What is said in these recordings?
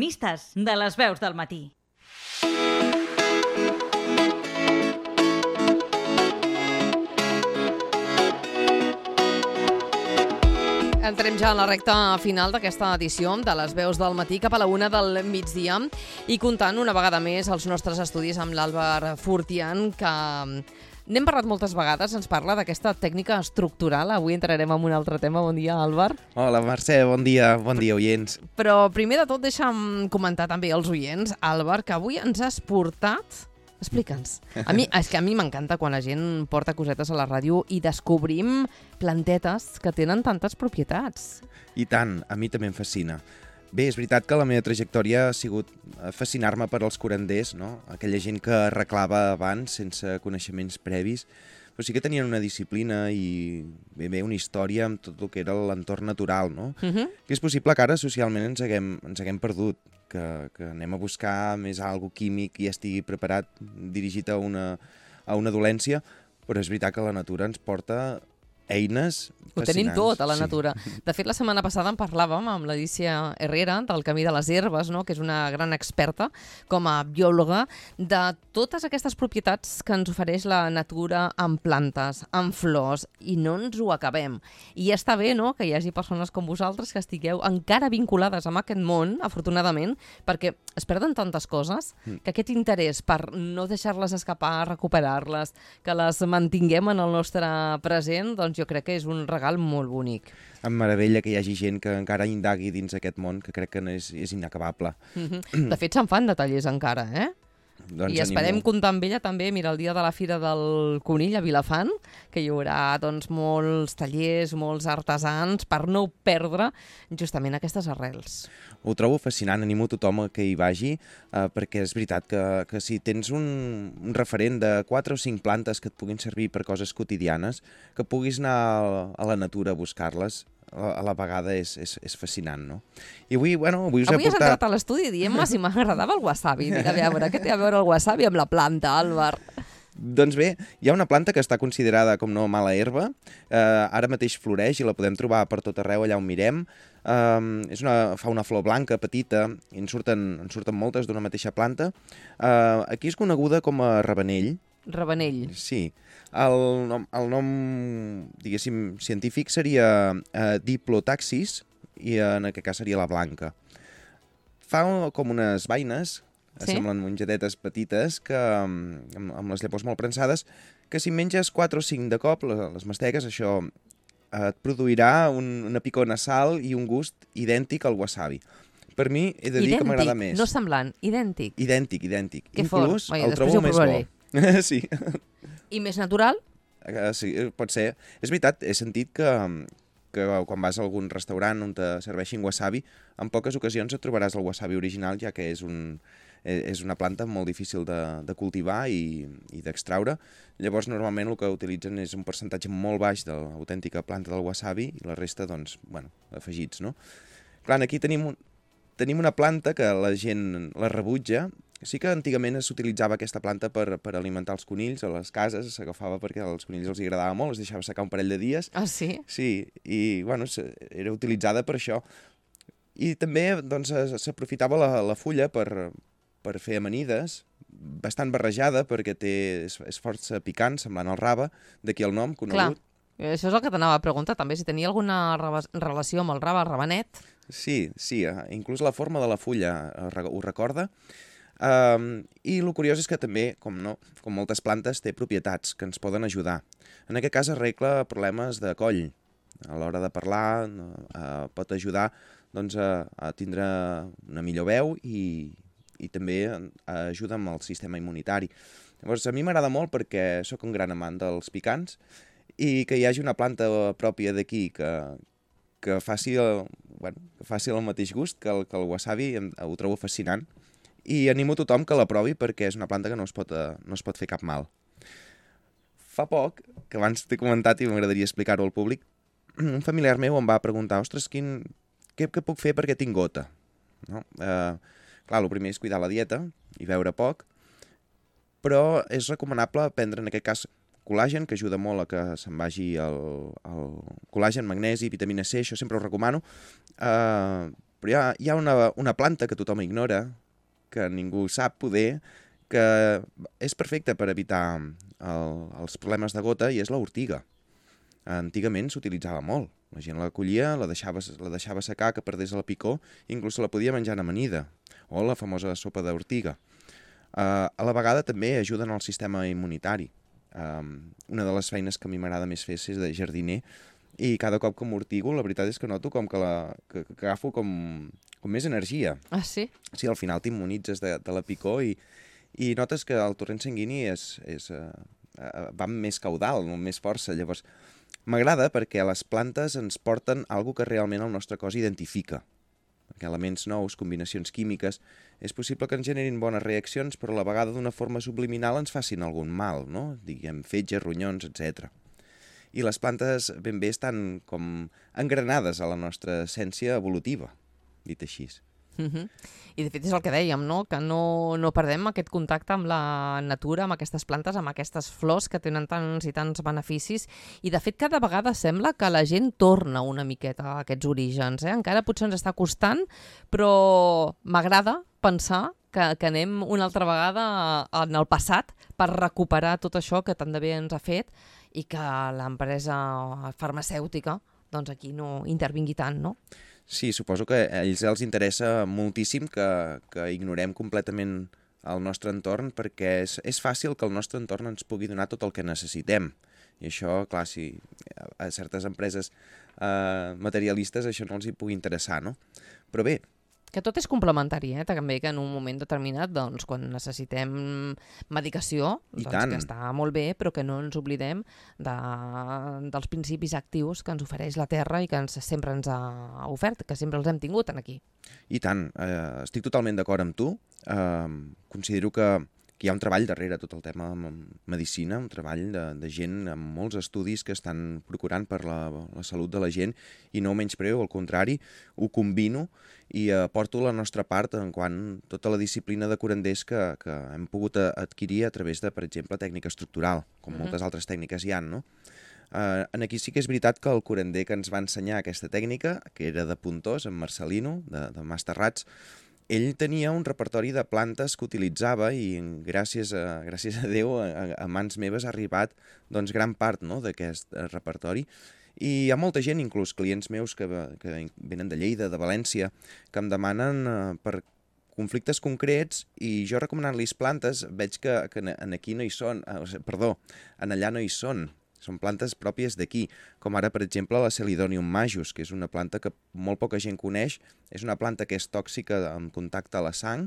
Mistes de les veus del matí. Entrem ja a la recta final d'aquesta edició de les veus del matí cap a la 1 del migdia i comptant una vegada més els nostres estudis amb l'Àlvar Fortián, que n'hem parlat moltes vegades, ens parla d'aquesta tècnica estructural. Avui entrarem en un altre tema. Bon dia, Àlvar. Hola, Mercè, bon dia, oients. Però primer de tot deixa'm comentar també als oients, Àlvar, que avui ens has portat... Explica'ns. És que a mi m'encanta quan la gent porta cosetes a la ràdio i descobrim plantetes que tenen tantes propietats. I tant, a mi també em fascina. Bé, és veritat que la meva trajectòria ha sigut fascinar-me per als curanders, no? Aquella gent que arreglava abans sense coneixements previs, però sí que tenien una disciplina i bé una història amb tot el que era l'entorn natural, no? Que és possible que ara socialment ens haguem perdut, que anem a buscar més algo químic i estigui preparat, dirigit a una dolència, però és veritat que la natura ens porta eines fascinants. Ho tenim tot a la natura. De fet, la setmana passada en parlàvem amb l'Alícia Herrera del Camí de les Herbes, no? Que és una gran experta com a biòloga de totes aquestes propietats que ens ofereix la natura amb plantes, amb flors, i no ens ho acabem. I està bé, no?, que hi hagi persones com vosaltres que estigueu encara vinculades amb aquest món, afortunadament, perquè es perden tantes coses que aquest interès per no deixar-les escapar, recuperar-les, que les mantinguem en el nostre present, doncs jo crec que és un regal molt bonic. Em meravella que hi hagi gent que encara indagui dins aquest món, que crec que és inacabable. De fet, se'n fan de tallers encara, eh? Doncs I esperem comptar amb ella també, mira, el dia de la Fira del Conill a Vilafant, que hi haurà doncs, molts tallers, molts artesans, per no perdre justament aquestes arrels. Ho trobo fascinant, animo tothom que hi vagi, perquè és veritat que si tens un referent de 4 o 5 plantes que et puguin servir per coses quotidianes, que puguis anar a la natura a buscar-les, a la vegada és fascinant, no? I avui us he portat... Avui has entrat a l'estudi dient-me si m'agradava el wasabi. Dic, a veure, què té a veure el wasabi amb la planta, Àlvar? Doncs bé, hi ha una planta que està considerada com no mala herba, ara mateix floreix i la podem trobar per tot arreu allà on mirem. Fa una flor blanca, petita, i en surten moltes d'una mateixa planta. Aquí és coneguda com a ravenell. Ravenell. Sí. El nom diguéssim, científic seria Diplotaxis, i en aquest cas seria la blanca. Fa com unes vaines, semblen mongedetes petites, que amb les llavors molt prensades, que si menges 4 o 5 de cop, les mastegues, això et produirà una picor nasal i un gust idèntic al wasabi. Per mi he de dir que m'agrada més. No semblant, idèntic. Idèntic. Que fort. Inclús el trobo més bo. Sí. I més natural? Sí, pot ser. És veritat, he sentit que quan vas a algun restaurant on te serveixin wasabi, en poques ocasions et trobaràs el wasabi original, ja que és una planta molt difícil de cultivar i d'extraure. Llavors, normalment el que utilitzen és un percentatge molt baix de l'autèntica planta del wasabi i la resta, doncs, afegits, no? Clar, aquí tenim una planta que la gent la rebutja. Sí que antigament s'utilitzava aquesta planta per alimentar els conills a les cases, s'agafava perquè als conills els agradava molt, es deixava secar un parell de dies. Ah, sí? Sí, i era utilitzada per això. I també doncs, s'aprofitava la fulla per fer amanides, bastant barrejada perquè és força picant, semblant al rave, d'aquí el nom conegut. Clar, això és el que t'anava a preguntar també, si tenia alguna relació amb el rave, el ravenet. Sí, inclús la forma de la fulla ho recorda. I el curiós és que també, com moltes plantes, té propietats que ens poden ajudar. En aquest cas arregla problemes de coll. A l'hora de parlar pot ajudar doncs, a tindre una millor veu i també ajuda amb el sistema immunitari. Llavors, a mi m'agrada molt perquè sóc un gran amant dels picants i que hi hagi una planta pròpia d'aquí que faci el mateix gust que el wasabi, ho trobo fascinant. I animo tothom que la provi perquè és una planta que no es pot fer cap mal. Fa poc, que abans t'he comentat i m'agradaria explicar-ho al públic, un familiar meu em va preguntar, ostres, què puc fer perquè tinc gota? No? Clar, el primer és cuidar la dieta i beure poc, però és recomanable prendre, en aquest cas, col·làgen, que ajuda molt a que se'n vagi el col·làgen, magnesi, vitamina C, això sempre ho recomano, Però hi ha una planta que tothom ignora, que ningú sap poder, que és perfecta per evitar els problemes de gota, i és l'ortiga. Antigament s'utilitzava molt. La gent la collia, la deixava secar, que perdés la picor, i inclús se la podia menjar amanida, o la famosa sopa d'ortiga. A la vegada també ajuden al sistema immunitari. Una de les feines que a mi m'agrada més fer és de jardiner, i cada cop que m'ortigo, la veritat és que noto com que agafo com més energia. Ah, sí? Sí, al final t'immunitzes de la picor i notes que el torrent sanguini va amb més caudal, amb més força. Llavors, m'agrada perquè les plantes ens porten alguna que realment el nostre cos identifica. Perquè elements nous, combinacions químiques, és possible que ens generin bones reaccions, però a la vegada d'una forma subliminal ens facin algun mal, no? Diguem, fetges, ronyons, etc. I les plantes ben bé estan com engranades a la nostra essència evolutiva, dit així. I de fet és el que dèiem, no? Que no perdem aquest contacte amb la natura, amb aquestes plantes, amb aquestes flors que tenen tants i tants beneficis, i de fet cada vegada sembla que la gent torna una miqueta a aquests orígens. Encara potser ens està costant, però m'agrada pensar que anem una altra vegada en el passat per recuperar tot això que tant de bé ens ha fet i que l'empresa farmacèutica doncs aquí no intervingui tant, no? Sí, suposo que a ells els interessa moltíssim que ignorem completament el nostre entorn, perquè és fàcil que el nostre entorn ens pugui donar tot el que necessitem. I això, clar, si a certes empreses materialistes això no els hi pugui interessar, no? Però bé, que tot és complementari, també, que en un moment determinat, doncs, quan necessitem medicació, doncs, que està molt bé, però que no ens oblidem dels principis actius que ens ofereix la Terra i que sempre ens ha ofert, que sempre els hem tingut aquí. I tant, estic totalment d'acord amb tu. Considero que hi ha un treball darrere tot el tema de medicina, un treball de gent amb molts estudis que estan procurant per la salut de la gent, i no ho menyspreo, al contrari, ho combino i aporto la nostra part en quant tota la disciplina de curanders que hem pogut adquirir a través de, per exemple, tècnica estructural, com moltes altres tècniques hi ha, no? Aquí sí que és veritat que el curander que ens va ensenyar aquesta tècnica, que era de Pontós, en Marcelino, de Masterrats, ell tenia un repertori de plantes que utilitzava i gràcies a Déu a mans meves ha arribat doncs, gran part, no, d'aquest repertori. I hi ha molta gent, inclús clients meus que venen de Lleida, de València, que em demanen per conflictes concrets, i jo recomanant-los plantes veig que aquí no hi són, en allà no hi són. Són plantes pròpies d'aquí, com ara, per exemple, la Celidonium majus, que és una planta que molt poca gent coneix. És una planta que és tòxica en contacte a la sang,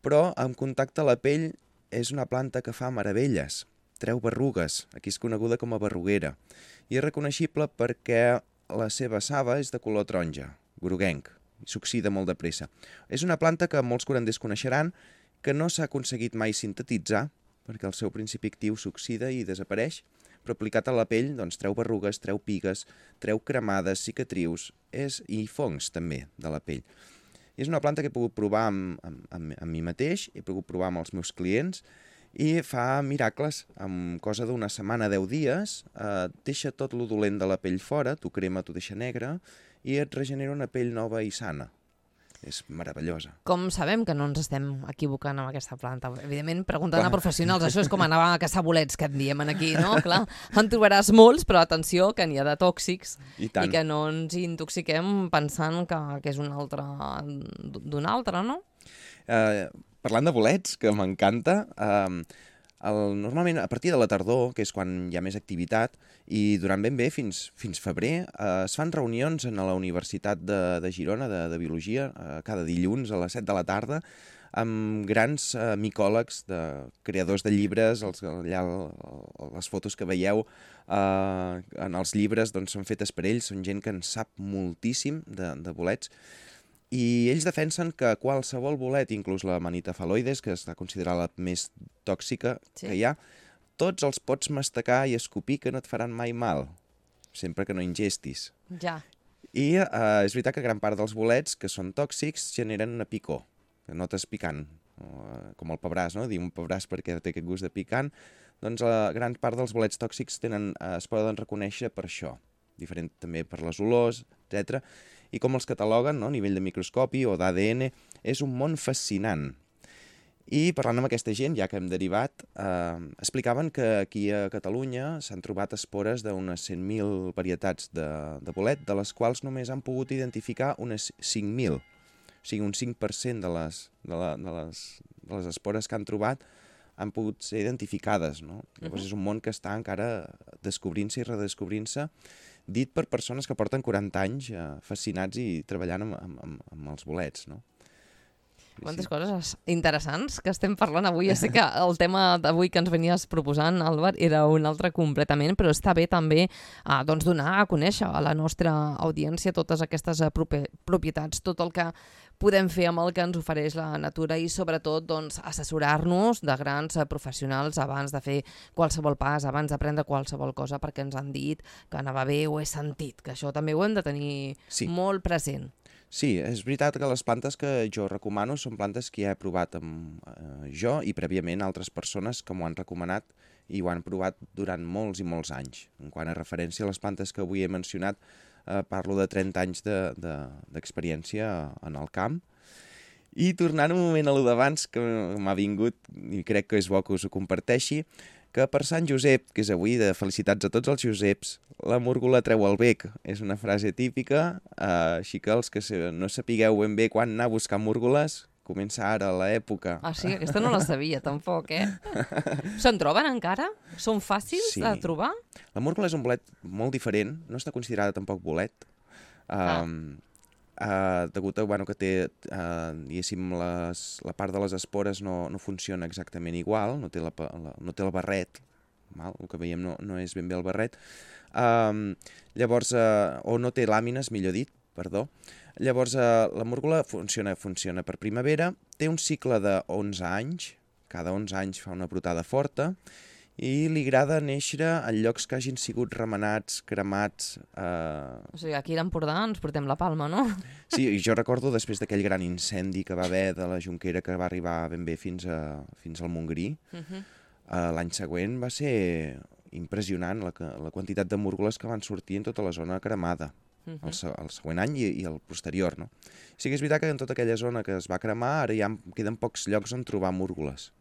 però en contacte a la pell és una planta que fa meravelles. Treu berrugues, aquí és coneguda com a berruguera. I és reconeixible perquè la seva saba és de color taronja, groguenc, i s'oxida molt de pressa. És una planta que molts curanders coneixeran, que no s'ha aconseguit mai sintetitzar, perquè el seu principi actiu s'oxida i desapareix, però aplicat a la pell doncs, treu berrugues, treu pigues, treu cremades, cicatrius i fongs també de la pell. I és una planta que he pogut provar amb mi mateix, he pogut provar amb els meus clients i fa miracles. En cosa d'una setmana, 10 dies, deixa tot lo dolent de la pell fora, t'ho crema, t'ho deixa negre i et regenera una pell nova i sana. És meravellosa. Com sabem que no ens estem equivocant amb aquesta planta? Evidentment, preguntant a professionals, això és com anar a caçar bolets, que en diem aquí, no? Clar, en trobaràs molts, però atenció, que n'hi ha de tòxics i que no ens intoxiquem pensant que és un altre d'un altre, no? Parlant de bolets, que m'encanta, normalment a partir de la tardor, que és quan hi ha més activitat, i durant ben bé fins febrer, es fan reunions a la Universitat de Girona de Biologia, cada dilluns a les 7 de la tarda, amb grans micòlegs, creadors de llibres. Allà les fotos que veieu en els llibres doncs, són fetes per ells, són gent que en sap moltíssim de bolets. I ells defensen que qualsevol bolet, inclús la Manita phalloides, que està considerada la més tòxica que hi ha, tots els pots mastecar i escopir, que no et faran mai mal, sempre que no ingestis. Ja. I és veritat que gran part dels bolets que són tòxics generen una picor, que notes picant, com el pebràs, no? Diu un pebràs perquè té aquest gust de picant. Doncs gran part dels bolets tòxics es poden reconèixer per això, diferent també per les olors, etc. i com els cataloguen, no? A nivell de microscopi o d'ADN. És un món fascinant. I parlant amb aquesta gent, ja que hem derivat, explicaven que aquí a Catalunya s'han trobat espores d'unes 100.000 varietats de bolet, de les quals només han pogut identificar unes 5.000. O sigui, un 5% de les espores que han trobat han pogut ser identificades, no? Llavors és un món que està encara descobrint-se i redescobrint-se, dit per persones que porten 40 anys fascinats i treballant amb els bolets, no? Quantes coses interessants que estem parlant avui. Ja sé que el tema d'avui que ens venies proposant, Àlvar, era un altre completament, però està bé també doncs donar a conèixer a la nostra audiència totes aquestes propietats, tot el que podem fer amb el que ens ofereix la natura i sobretot doncs, assessorar-nos de grans professionals abans de fer qualsevol pas, abans d'aprendre qualsevol cosa, perquè ens han dit que anava bé o he sentit, que això també ho hem de tenir molt present. Sí, és veritat que les plantes que jo recomano són plantes que ja he provat jo i prèviament altres persones que m'ho han recomanat i ho han provat durant molts i molts anys. En quant a referència a les plantes que avui he mencionat, parlo de 30 anys d'experiència en el camp. I tornant un moment a lo d'abans, que m'ha vingut, i crec que és bo que us ho comparteixi, que per Sant Josep, que és avui de felicitats a tots els Joseps, la múrgola treu el bec. És una frase típica, així que els que no sapigueu ben bé quan anar a buscar múrgoles, comença ara l'època. Ah, sí? Aquesta no la sabia, tampoc, Se'n troben encara? Són fàcils de trobar? La múrgola és un bolet molt diferent, no està considerada tampoc bolet, degut a que té, diguéssim, la part de les espores no funciona exactament igual, no té el barret, el que veiem no és ben bé el barret, llavors, o no té làmines, millor dit, perdó. Llavors, la múrgola funciona per primavera, té un cicle de 11 anys, cada 11 anys fa una brotada forta, i li agrada néixer en llocs que hagin sigut remenats, cremats... O sigui, aquí a l'Empordà ens portem la palma, no? Sí, i jo recordo després d'aquell gran incendi que va haver de la Jonquera que va arribar ben bé fins al Montgrí, l'any següent va ser impressionant la quantitat de múrgoles que van sortir en tota la zona cremada, el següent any i el posterior, no? Sí que és veritat que en tota aquella zona que es va cremar ara ja queden pocs llocs on trobar múrgoles,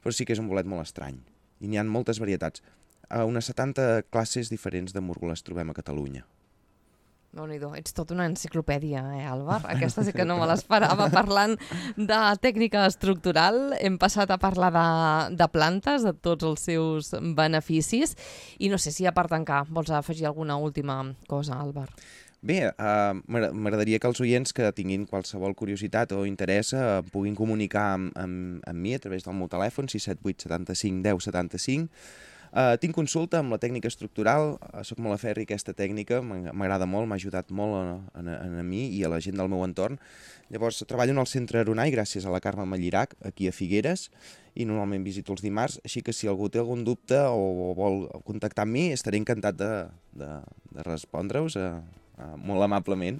però sí que és un bolet molt estrany. I n'hi ha moltes varietats. Unes 70 classes diferents de múrgoles trobem a Catalunya. Déu-n'hi-do, ets tota una enciclopèdia, Àlvar? Aquesta sí que no me l'esperava. Parlant de tècnica estructural, hem passat a parlar de plantes, de tots els seus beneficis, i no sé si a part tancar vols afegir alguna última cosa, Àlvar. Bé, m'agradaria que els oients que tinguin qualsevol curiositat o interès puguin comunicar amb mi a través del meu telèfon 678 75 10 75. Tinc consulta amb la tècnica estructural, soc molt afèrric a aquesta tècnica, m'agrada molt, m'ha ajudat molt a mi i a la gent del meu entorn. Llavors, treballo en el centre Aronai gràcies a la Carme Mallirac, aquí a Figueres, i normalment visito els dimarts, així que si algú té algun dubte o vol contactar amb mi, estaré encantat de respondre-us molt amablement.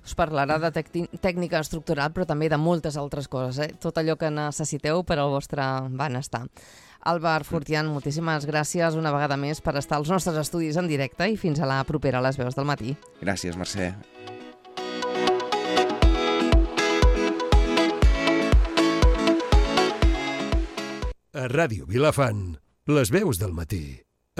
Us parlarà de tècnica estructural, però també de moltes altres coses, tot allò que necessiteu per al vostre benestar. Àlvar Fortián, moltíssimes gràcies una vegada més per estar als nostres estudis en directe i fins a la propera a les veus del matí. Gràcies, Mercè. A Ràdio Vilafant, les veus del matí.